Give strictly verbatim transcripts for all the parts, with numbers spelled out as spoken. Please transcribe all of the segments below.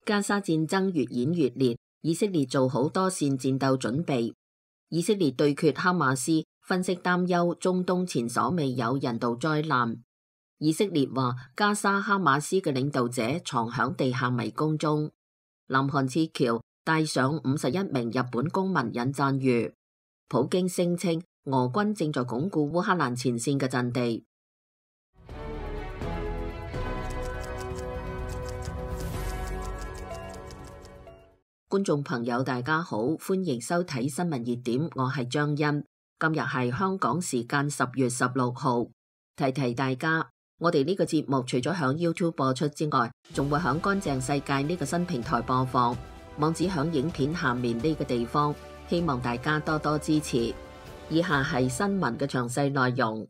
加沙戰爭越演越烈，以色列做好多線戰鬥準備。以色列對決哈馬斯，分析擔憂中東前所未有人道災難。以色列話加沙哈馬斯嘅領導者藏響地下迷宮中。南韓撤僑帶上五十一名日本公民引讚譽。普京聲稱俄軍正在鞏固烏克蘭前線嘅陣地。觀眾朋友大家好，歡迎收睇新聞熱點，我係張欣。今日係香港時間十月十六號，提提大家，我哋呢個節目除咗響 YouTube 播出之外，仲會響乾淨世界呢個新平台播放，網址響影片下面呢個地方，希望大家多多支持。以下係新聞嘅詳細內容。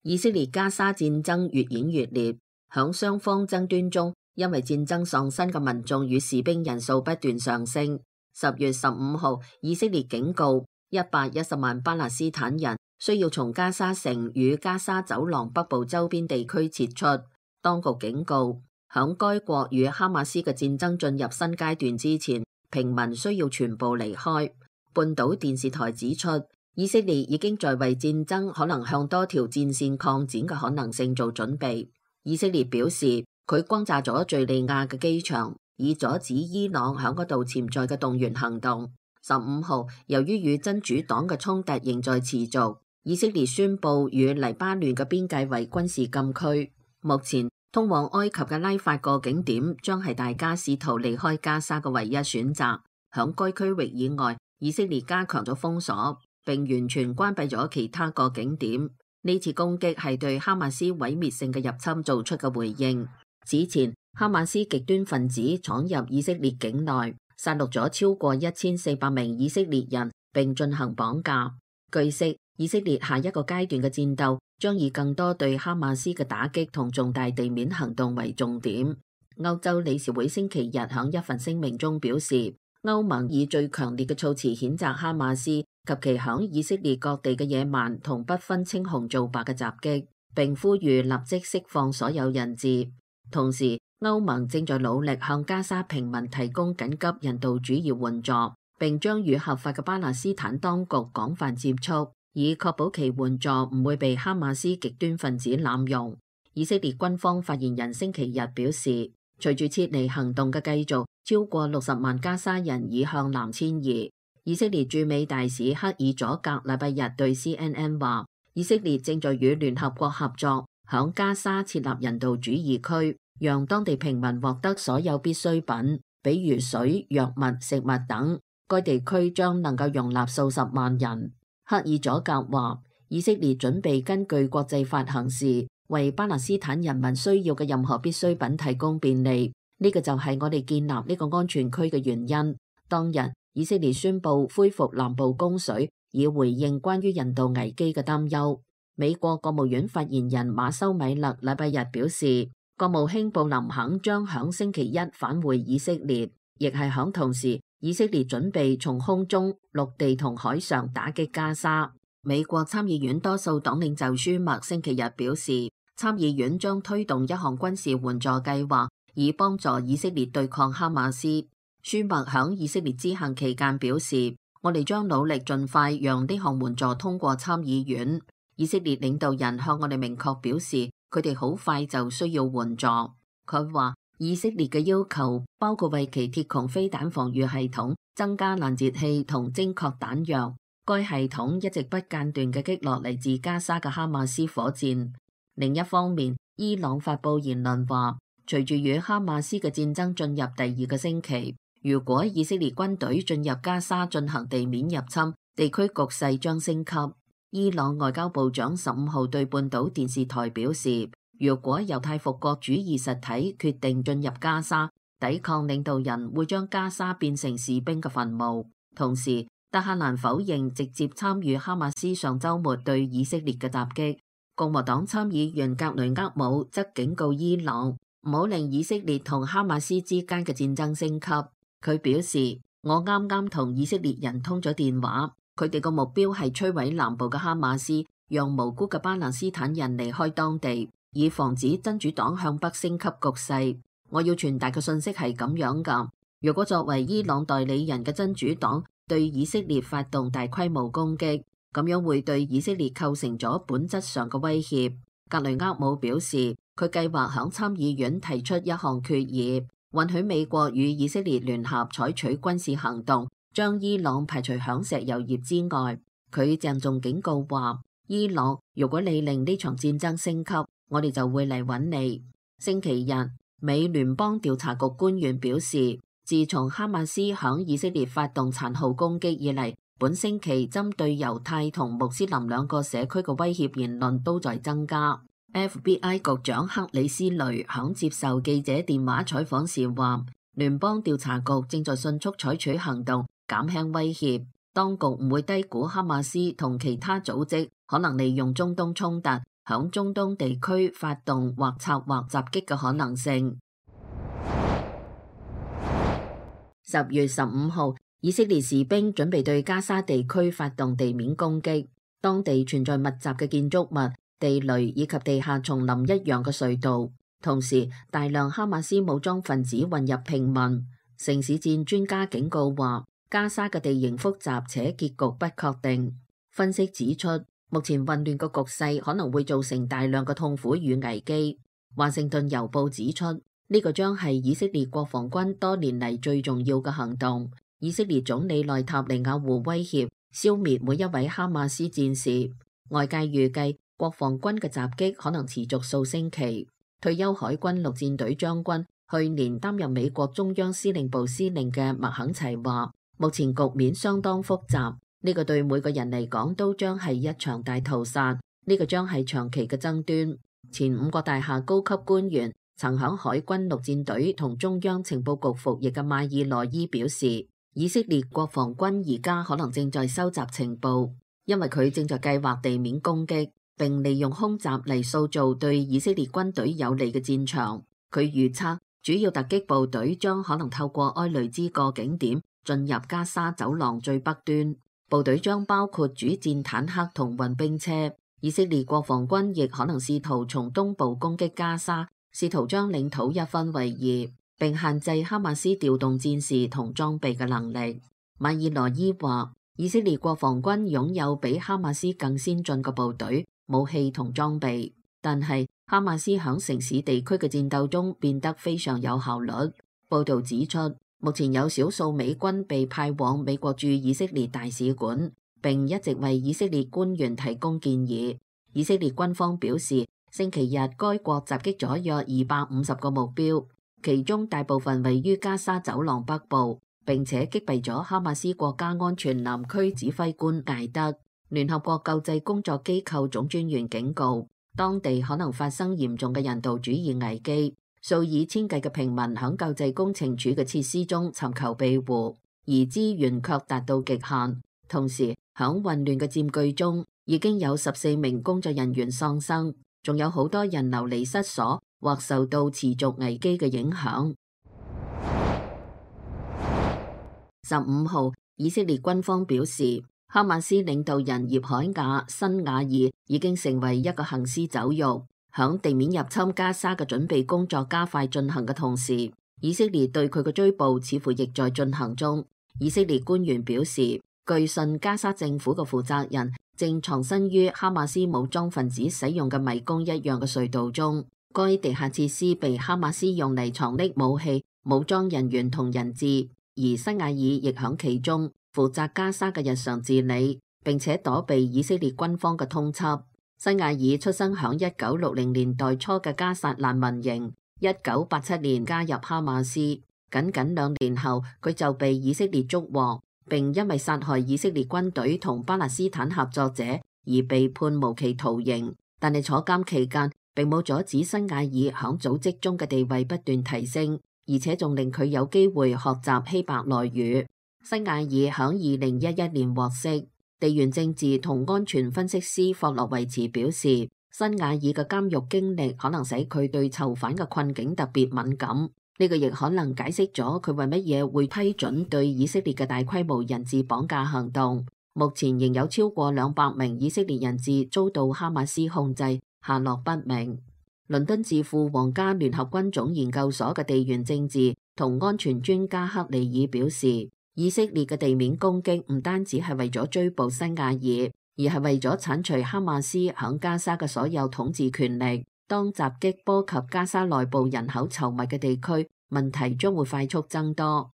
以色列加沙戰爭越演越烈，響雙方爭端中，因為戰爭喪生嘅民眾與士兵人數不斷上升。十月十五號，以色列警告一百一十萬巴勒斯坦人需要從加沙城與加沙走廊北部周邊地區撤出。當局警告，響該國與哈馬斯嘅戰爭進入新階段之前，平民需要全部離開。半島電視台指出，以色列已經在為戰爭可能向多條戰線擴展嘅可能性做準備。以色列表示，佢轟炸咗敘利亞嘅機場，以阻止伊朗響嗰度潛在嘅動員行動。十五號，由於與真主黨嘅衝突仍在持續，以色列宣布與黎巴嫩嘅邊界為軍事禁區。目前，通往埃及嘅拉法過境點將係大家試圖離開加沙嘅唯一選擇。響該區域以外，以色列加強咗封鎖，並完全關閉咗其他個景點。呢次攻擊係對哈馬斯毀滅性嘅入侵做出嘅回應。此前，哈馬斯極端分子闖入以色列境內，殺戮咗超過一千四百名以色列人，並進行綁架。據悉，以色列下一個階段嘅戰鬥將以更多對哈馬斯嘅打擊同重大地面行動為重點。歐洲理事會星期日響一份聲明中表示，歐盟以最強烈嘅措辭譴責哈馬斯及其響以色列各地嘅野蠻同不分青紅皂白嘅襲擊，並呼籲立即釋放所有人質。同時，歐盟正在努力向加沙平民提供緊急人道主義援助，並將與合法嘅巴勒斯坦當局廣泛接觸，以確保其援助唔會被哈馬斯極端分子濫用。以色列軍方發言人星期日表示，隨住撤離行動嘅繼續，超過六十萬加沙人已向南遷移。以色列駐美大使克爾佐格禮拜日對 C N N 話，以色列正在與聯合國合作，響加沙設立人道主義區，讓當地平民獲得所有必需品，比如水、藥物、食物等。該地區將能夠容納數十萬人。克爾佐格話，以色列準備根據國際法行事，為巴勒斯坦人民需要嘅任何必需品提供便利。呢個就係我哋建立呢個安全區嘅原因。當日，以色列宣布恢復南部供水，以回應關於人道危機嘅擔憂。美國國務院發言人馬修米勒禮拜日表示，國務卿布林肯將響星期一返回以色列，亦係響同時，以色列準備從空中、陸地同海上打擊加沙。美國參議院多數黨領袖舒默星期日表示，參議院將推動一項軍事援助計劃，以幫助以色列對抗哈馬斯。舒默響以色列之行期間表示，我哋將努力盡快讓呢項援助通過參議院。以色列領導人向我哋明確表示，佢哋好快就需要援助。佢話，以色列嘅要求包括為其鐵穹飛彈防禦系統增加攔截器同精確彈藥。該系統一直不間斷嘅擊落嚟自加沙嘅哈馬斯火箭。另一方面，伊朗發佈言論話，隨住與哈馬斯嘅戰爭進入第二個星期，如果以色列軍隊進入加沙進行地面入侵，地區局勢將升級。伊朗外交部長十五號對半島電視台表示，如果猶太復國主義實體決定進入加沙，抵抗領導人會將加沙變成士兵嘅墳墓。同時，德黑蘭否認直接參與哈馬斯上週末對以色列嘅襲擊。共和黨參議員格雷厄姆則警告伊朗唔好令以色列同哈馬斯之間嘅戰爭升級。佢表示，我啱啱同以色列人通咗電話，佢哋個目標係摧毀南部嘅哈馬斯，讓無辜嘅巴勒斯坦人離開當地。以防止真主黨向北升級局勢。我要傳達嘅信息係咁樣㗎。如果作為伊朗代理人嘅真主黨對以色列發動大規模攻擊，咁樣會對以色列構成咗本質上嘅威脅。格雷厄姆表示，佢計劃響參議院提出一項決議，允許美國與以色列聯合採取軍事行動，將伊朗排除響石油業之外。佢鄭重警告話，伊朗，如果你令呢場戰爭升級，我哋就會嚟揾你。星期日，美聯邦調查局官員表示，自從哈馬斯響以色列發動殘酷攻擊以嚟，本星期針對猶太同穆斯林兩個社區嘅威脅言論都在增加。F B I 局長克里斯雷響接受記者電話採訪時話，聯邦調查局正在迅速採取行動，減輕威脅。當局唔會低估哈馬斯同其他組織可能利用中東衝突響中東地區發動或策劃襲擊嘅可能性。十月十五號，以色列士兵準備對加沙地區發動地面攻擊，當地存在密集嘅建築物、地雷以及地下叢林一樣嘅隧道，同時大量哈馬斯武裝分子混入平民。城市戰專家警告話，加沙嘅地形複雜且結局不確定。分析指出，目前混亂嘅局勢可能會造成大量嘅痛苦與危機。華盛頓郵報指出，呢個將係以色列國防軍多年嚟最重要嘅行動。以色列總理內塔尼亞胡威脅消滅每一位哈馬斯戰士。外界預計國防軍嘅襲擊可能持續數星期。退休海軍陸戰隊將軍、去年擔任美國中央司令部司令嘅麥肯齊話，目前局面相當複雜，呢個對每個人嚟講都將係一場大屠殺，呢個將係長期嘅爭端。前五角大廈高級官員曾響海軍陸戰隊同中央情報局服役嘅馬爾羅伊表示，以色列國防軍而家可能正在收集情報，因為佢正在計劃地面攻擊，並利用空襲嚟塑造對以色列軍隊有利嘅戰場。佢預測主要突擊部隊將可能透過埃雷茲過境點進入加沙走廊最北端，部隊將包括主戰坦克同運兵車。以色列國防軍亦可能試圖從東部攻擊加沙，試圖將領土一分為二，並限制哈馬斯調動戰士同裝備嘅能力。馬爾羅伊話，以色列國防軍擁有比哈馬斯更先進嘅部隊、武器同裝備，但係哈馬斯響城市地區嘅戰鬥中變得非常有效率。報道指出，目前有少數美軍被派往美國駐以色列大使館，並一直為以色列官員提供建議。以色列軍方表示，星期日該國襲擊咗約二百五十個目標，其中大部分位於加沙走廊北部，並且擊斃咗哈馬斯國家安全南區指揮官艾德。聯合國救濟工作機構總專員警告，當地可能發生嚴重嘅人道主義危機，數以千計嘅平民響救濟工程處嘅設施中尋求庇護，而資源卻達到極限。同時，響混亂嘅佔據中，已經有十四名工作人員喪生，仲有好多人流離失所或受到持續危機嘅影響。十五號，以色列軍方表示，哈馬斯領導人葉海亞·辛瓦爾已經成為一個行屍走肉。響地面入侵加沙嘅準備工作加快進行嘅同時，以色列對佢嘅追捕似乎亦在進行中。以色列官員表示，據信加沙政府嘅負責人正藏身於哈馬斯武裝分子使用嘅迷宮一樣嘅隧道中，該地下設施被哈馬斯用嚟藏匿武器、武裝人員同人質，而辛瓦爾亦響其中負責加沙嘅日常治理，並且躲避以色列軍方嘅通緝。辛瓦爾出生響一九六零年代初嘅加薩難民營，一九八七年加入哈馬斯，僅僅兩年後佢就被以色列捉獲，並因為殺害以色列軍隊同巴勒斯坦合作者而被判無期徒刑。但係坐監期間並冇阻止辛瓦爾響組織中嘅地位不斷提升，而且仲令佢有機會學習希伯來語。辛瓦爾響二零一一年獲釋。地緣政治同安全分析師霍洛維茨表示，辛瓦爾嘅監獄經歷可能使佢對囚犯嘅困境特別敏感，呢個亦可能解釋咗佢為乜嘢會批准對以色列嘅大規模人質綁架行動。目前仍有超過兩百名以色列人質遭到哈馬斯控制，下落不明。倫敦智庫皇家聯合軍種研究所嘅地緣政治同安全專家克里爾表示，以色列嘅地面攻擊唔單止係為咗追捕辛亞爾，而係為咗剷除哈馬斯響加沙嘅所有統治權力。當襲擊波及加沙內部人口稠密嘅地區，問題將會快速增多。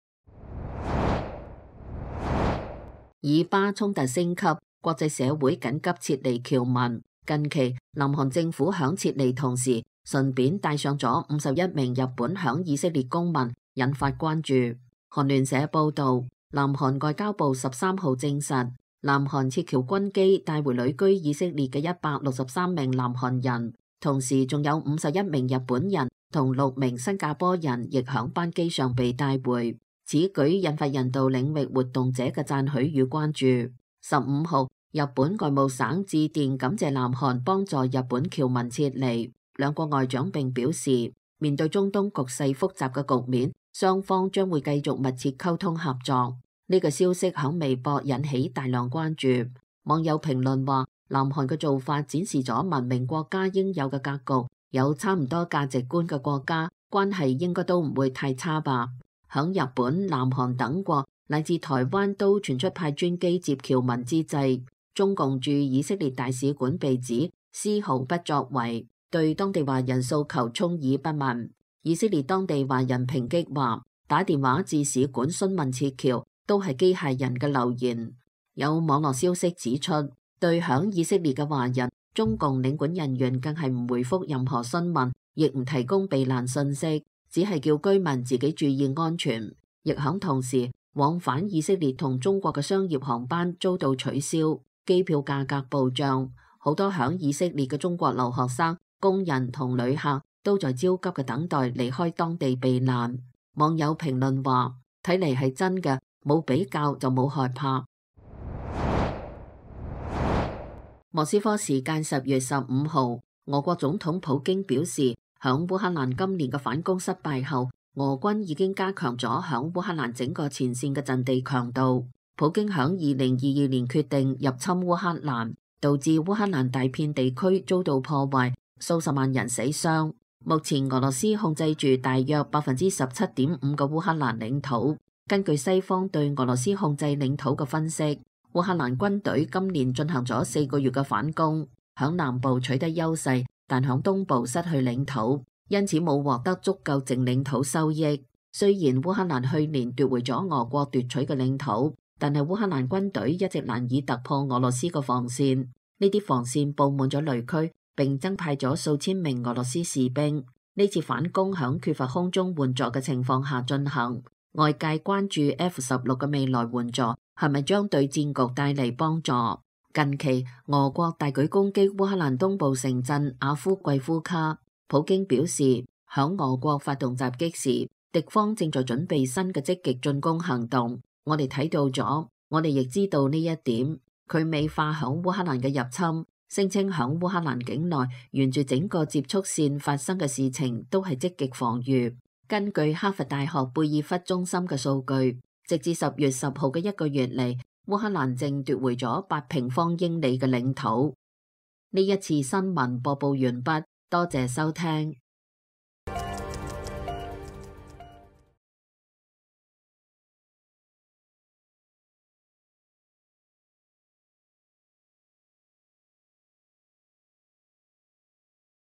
以巴衝突升級，國際社會緊急撤離僑民。近期，南韓政府響撤離同時，順便帶上咗五十一名日本響以色列公民，引發關注。韓聯社報導，南韓外交部十三號證實，南韓撤僑軍機帶回旅居以色列嘅一百六十三名南韓人，同時仲有五十一名日本人同六名新加坡人亦響班機上被帶回。此舉引發人道領域活動者嘅讚許與關注。十五號，日本外務省致電感謝南韓幫助日本僑民撤離，兩國外長並表示，面對中東局勢複雜嘅局面，雙方將會繼續密切溝通合作。呢個消息響微博引起大量關注，網友評論話，南韓嘅做法展示咗文明國家應有嘅格局，有差唔多價值觀嘅國家，關係應該都唔會太差吧。響日本、南韓等國乃至台灣都傳出派專機接僑民之際，中共駐以色列大使館被指絲毫不作為，對當地華人訴求充耳不聞。以色列當地華人抨擊話，打電話至使館詢問撤僑都係機械人嘅留言。有網絡消息指出，對響以色列嘅華人，中共領館人員更係唔回覆任何詢問，亦唔提供避難信息，只係叫居民自己注意安全。亦響同時，往返以色列同中國嘅商業航班遭到取消，機票價格暴漲，好多響以色列嘅中國留學生、工人同旅客都在焦急嘅等待離開當地避難。網友評論話，睇嚟係真嘅，冇比較就冇害怕。莫斯科時間十月十五號，俄國總統普京表示，響烏克蘭今年嘅反攻失敗後，俄軍已經加強咗響烏克蘭整個前線嘅陣地強度。普京響二零二二年決定入侵烏克蘭，導致烏克蘭大片地區遭到破壞，數十萬人死傷。目前俄羅斯控制住大約百分之十七點五嘅烏克蘭領土。根據西方對俄羅斯控制領土嘅分析，烏克蘭軍隊今年進行咗四個月嘅反攻，響南部取得優勢，但響東部失去領土，因此冇獲得足夠淨領土收益。雖然烏克蘭去年奪回咗俄國奪取嘅領土，但係烏克蘭軍隊一直難以突破俄羅斯嘅防線，呢啲防線佈滿咗雷區，並增派咗數千名俄羅斯士兵。呢次反攻響缺乏空中援助嘅情況下進行，外界關注 F 十六嘅未來援助係咪將對戰局帶嚟幫助。近期俄國大舉攻擊烏克蘭東部城鎮阿夫季夫卡，普京表示，響俄國發動襲擊時，敵方正在準備新嘅積極進攻行動。我哋睇到咗，我哋亦知道呢一點。佢美化響烏克蘭嘅入侵，聲稱響烏克蘭境內沿住整個接觸線發生嘅事情都係積極防禦。根據哈佛大學貝爾弗中心嘅數據，直至十月十號嘅一個月嚟，烏克蘭正奪回咗八平方英里嘅領土。呢一次新聞播報完畢，多謝收聽。